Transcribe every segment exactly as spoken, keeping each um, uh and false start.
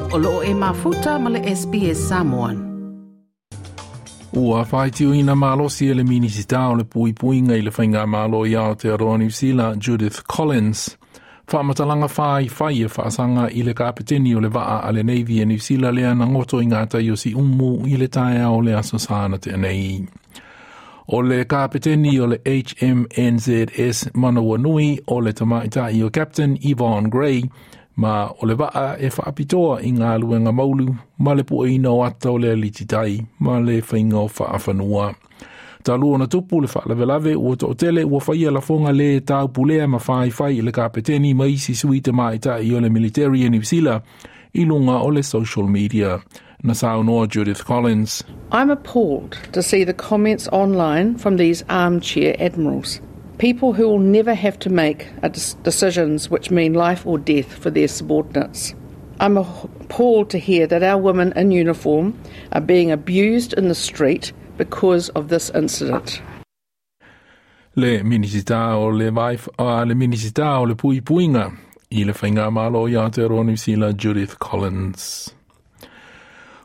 O loo e mafuta ma le S B S Samoan. Ua whaitiuina malosi e le Minisita o le Puipuiga i le Faigamalo i Aotearoa Niu Sila, Judith Collins, faamatalaga faifai e faasaga i le kapeteni o le vaa a le Navy e Niu Sila lea na goto i ngā tai o Siumu i le taeao o le Aso Sa na tea nei. O le kapeteni o le H M N Z S Manawanui o le tamaitai o Captain Yvonne Gray, ma o le vaa e whaapitoa i ngā luenga maulu ma le pueina o ata o le alititai ma le whainga o whaafanua. Talu ona tupu le faalavelave, ua toatele ua faia lafoga le taupulea ma faifai i le kapeteni ma isi sui tamaitai o le military e Niu Sila i luga o le social media. Na saunoa Judith Collins. I'm appalled to see the comments online from these armchair admirals. People who will never have to make a decisions which mean life or death for their subordinates. I'm appalled to hear that our women in uniform are being abused in the street because of this incident. Le Minisita o le, Vaif, uh, le Minisita o le Puipuiga i le Faigamalo i Aotearoa Niu Sila, Judith Collins.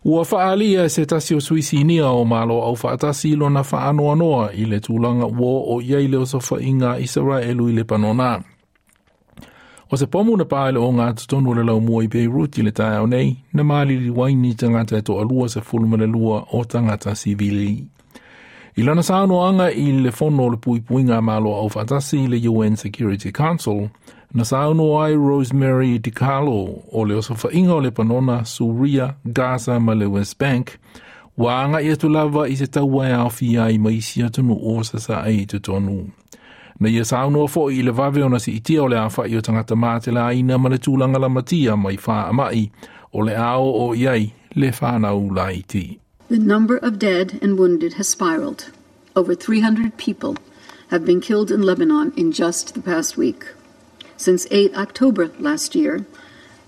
Ua faalia se tasi o sui sinia o Malo Aufaatasi lona faanoanoa i le tulaga ua o iai le osofaiga Isaraelu i Lepanona. O se pomu na paele o ngā totonu le laumua i Beirut i le taeao nei, na maliliu ai ni tagata e toalua sefulu ma le lua o tagata sivili. I lana saunoaga i le fono o le Puipuiga Malo Aufaatasi i le U N Security Council, na saunoa ai Rosemary DiCarlo o le osofaiga o Lepanona, Suria, Gaza ma le West Bank, ua agai atu lava i se taua e aofia ai ma isi atunuu o sasae i totonu. Na ia saunoa foi i le vave ona siitia o le aofai o tagata matelaina ma le tulaga lamatia mai faamai o le ao o iai le whanau laiti. The number of dead and wounded has spiraled. Over three hundred people have been killed in Lebanon in just the past week. Since eight October last year,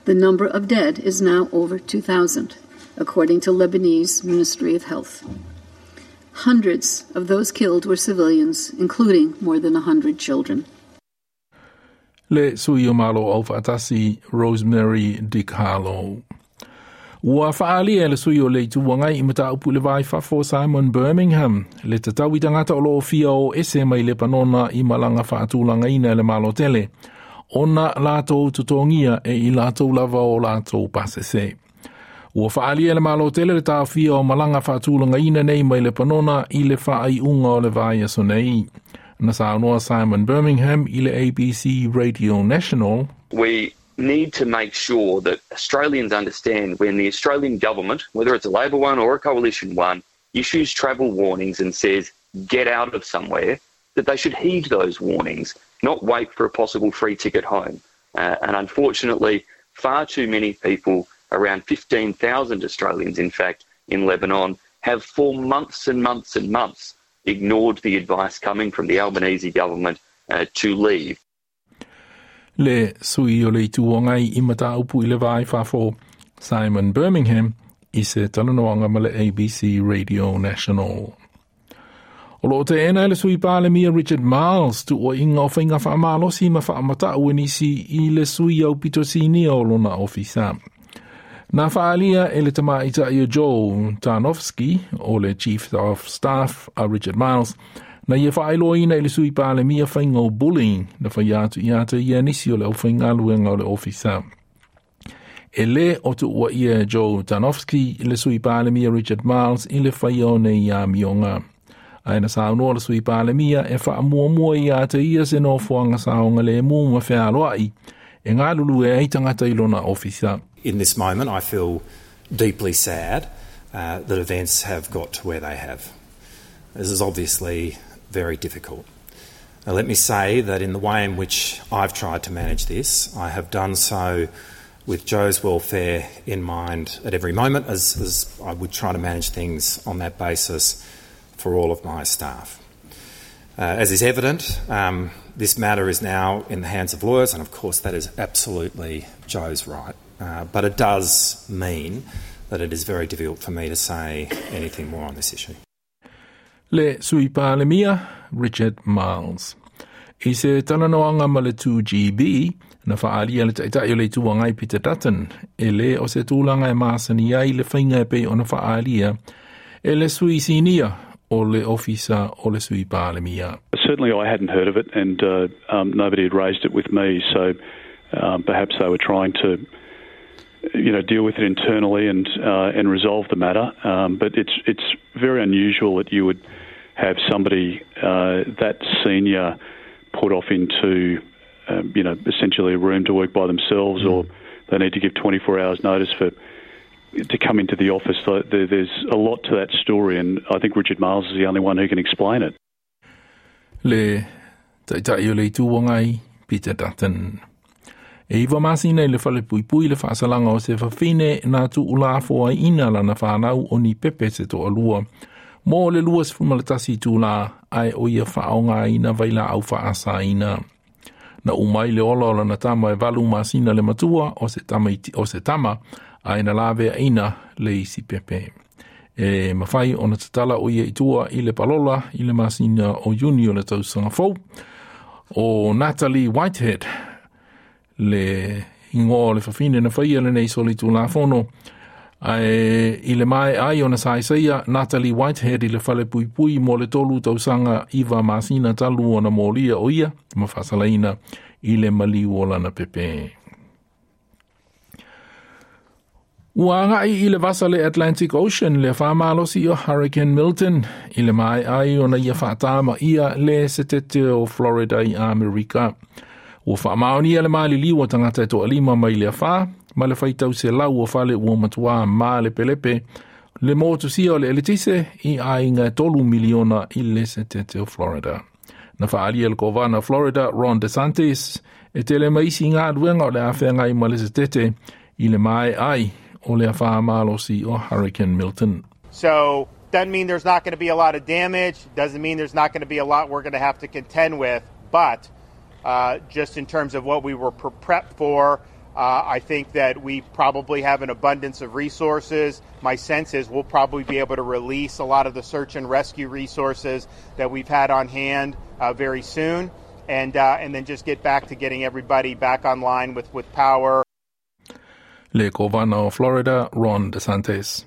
the number of dead is now over two thousand, according to Lebanese Ministry of Health. Hundreds of those killed were civilians, including more than one hundred children. Le sui o Malo Aufaatasi Rosemary DiCarlo. Ua faalia le sui o le Itu Agai i mataupu le vai fafo Simon Birmingham le tatau i tagata o loo fia o ese mai Lepanona i malaga faatulagaina e le Malo Tele ona latou totogia e i latou lava o latou pasese. Ua faalia le Malo Tele le taofia o malaga faatulagaina nei mai Lepanona i le faaiuga o le vaiaso nei. Na saunoa Simon Birmingham i le A B C Radio National. We need to make sure that Australians understand when the Australian government, whether it's a Labor one or a coalition one, issues travel warnings and says, "Get out of somewhere," that they should heed those warnings, not wait for a possible free ticket home. Uh, and unfortunately, far too many people, around fifteen thousand Australians, in fact, in Lebanon, have for months and months and months ignored the advice coming from the Albanese government uh, to leave. Le sui o le Itu Agai i mataupu i le vai fafo Simon Birmingham i se talanoaga ma le A B C Radio National. O loo teena e le sui palemia Richard Marles tuuaiga o faiga faamalosi ma faamatau e nisi i le sui aupito sinia o lona ofisa. Na faalia e le tamaitai o Joe Tarnowski o le Chief of Staff a Richard Marles na ia faailoaina i le sui palemia faiga o bullying na fai atu ia te ia nisi o le aufaigaluega o le ofisa. E le o tuuaia e Joe Tarnowski le sui palemia Richard Marles i le faia o nei amioga. Ae na saunoa le sui palemia e faamuamua ia te ia se nofoaga saogalemu ma fealoai e galulue ai tagata i lona ofisa. In this moment, I feel deeply sad uh, that events have got to where they have. This is obviously very difficult. Now, let me say that in the way in which I've tried to manage this, I have done so with Joe's welfare in mind at every moment, as, as I would try to manage things on that basis for all of my staff. Uh, as is evident, um, this matter is now in the hands of lawyers, and of course, that is absolutely Joe's right. Uh, but it does mean that it is very difficult for me to say anything more on this issue. Le sui palemia Richard Marles. I se talanoaga ma le two G B, Na whaalia le taitai o le Itu Agai Peter Dutton, e le o se tūlanga e maasani ai le whainga e pei ona whaalia, e le sui sinia o le ofisa o le sui Palemia. Certainly I hadn't heard of it, and uh, um, nobody had raised it with me, so um, perhaps they were trying to, you know, deal with it internally and uh, and resolve the matter. Um, but it's it's very unusual that you would have somebody uh, that senior put off into, um, you know, essentially a room to work by themselves, mm. or they need to give twenty-four hours notice for to come into the office. So there, there's a lot to that story, and I think Richard Marles is the only one who can explain it. Le taitai o le Itu Agai Peter Dutton. E iwa masina i le fale puipui le whaasalanga o se whawhine nā tuula afoa ina lana whanau o ni pepe se toa lua. Mō le lua se fumalatasi tūla ai o ia whaonga ina vaila au whaasa ina. Na umai le ola o lana tama e valu masina le matua o se tama, iti, o se tama ai na lavea ina le isi pepe. E mawhai o na tatala o ia itua i le palola i le masina o Juni o le tausanga fou. O Natalie Whitehead le ingoa o le whawhine na whaia le nei soli tūlafono. Ai, i le mai ai ona saisaia Natalie Whitehead i le fale puipui mo le tolu tausanga iwa masina talu ona molia o ia ma whasalaina i le maliu o lana pepe. Ua ngai i le vasa le Atlantic Ocean le whamalosi o Hurricane Milton i le mai ai ona ia whaatama ia le setete o Florida i Amerika. Ua whaamaonia le maliliu o tangata e toa lima mai le awha, ma le whaitau se lau o fale ua matua ma le pelepe, le motusia o le eletise i ainga tolu miliona i le setete o Florida. Na whaalia le kovana Florida Ron DeSantis e tele maisi ngā duenga o le awhenga i ma le setete i le mai ai o le awha o Hurricane Milton. So, doesn't mean there's not going to be a lot of damage, doesn't mean there's not going to be a lot we're going to have to contend with, but uh, just in terms of what we were prepped for, uh, I think that we probably have an abundance of resources. My sense is we'll probably be able to release a lot of the search and rescue resources that we've had on hand uh, very soon, and, uh, and then just get back to getting everybody back online with, with power. Le Kovana o Florida, Ron DeSantis.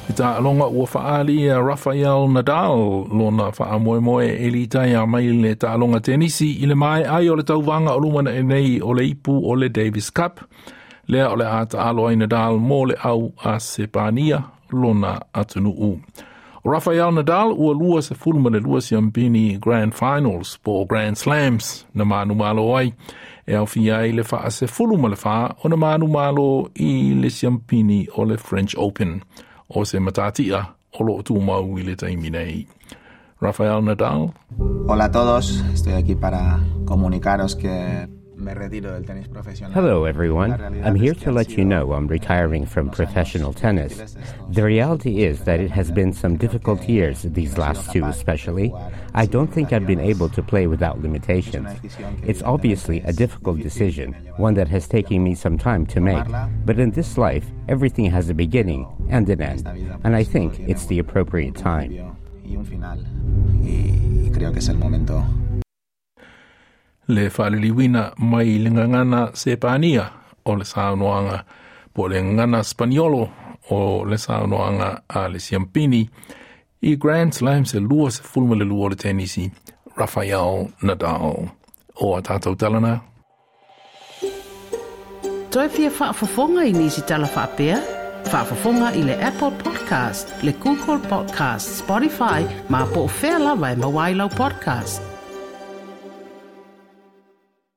I tā alonga ua whaali a Rafael Nadal lona whaamoemoe e li tai a mai le tā alonga tenisi i le mai ai o le tauwanga o lumana e nei o le ipu o le Davis Cup. Lea o le ata alo ai Nadal mō le au a Sepania lona atunuu. O Rafael Nadal ua lua se fuluma le lua siampini Grand Finals po Grand Slams na manu malo ai. E au fia ai le wha se fuluma le wha o na manu malo i le siampini o le French Open. O se matatia o lo tūmau i le taimi nei. Rafael Nadal. Hola a todos, estoy aquí para comunicaros que me retiro del tenis profesional. Hello everyone, I'm here to let you know I'm retiring from professional tennis. The reality is that it has been some difficult years, these last two especially. I don't think I've been able to play without limitations. It's obviously a difficult decision, one that has taken me some time to make. But in this life, everything has a beginning and an end, and I think it's the appropriate time. Y creo que es el momento. Le whaliliwina mai le ngangana Sepania o le saunoanga po le ngangana Spaniolo o le saunoanga a le Siampini i Grand Slam se lua se fulma le lua o le tenisi Rafael Nadal. O a tātou talana. Toi fia whaafafonga i nisi tala whaapea? Whaafafonga i le Apple Podcast, le Google Podcast, Spotify, ma po o whea lawa e mawailau podcast.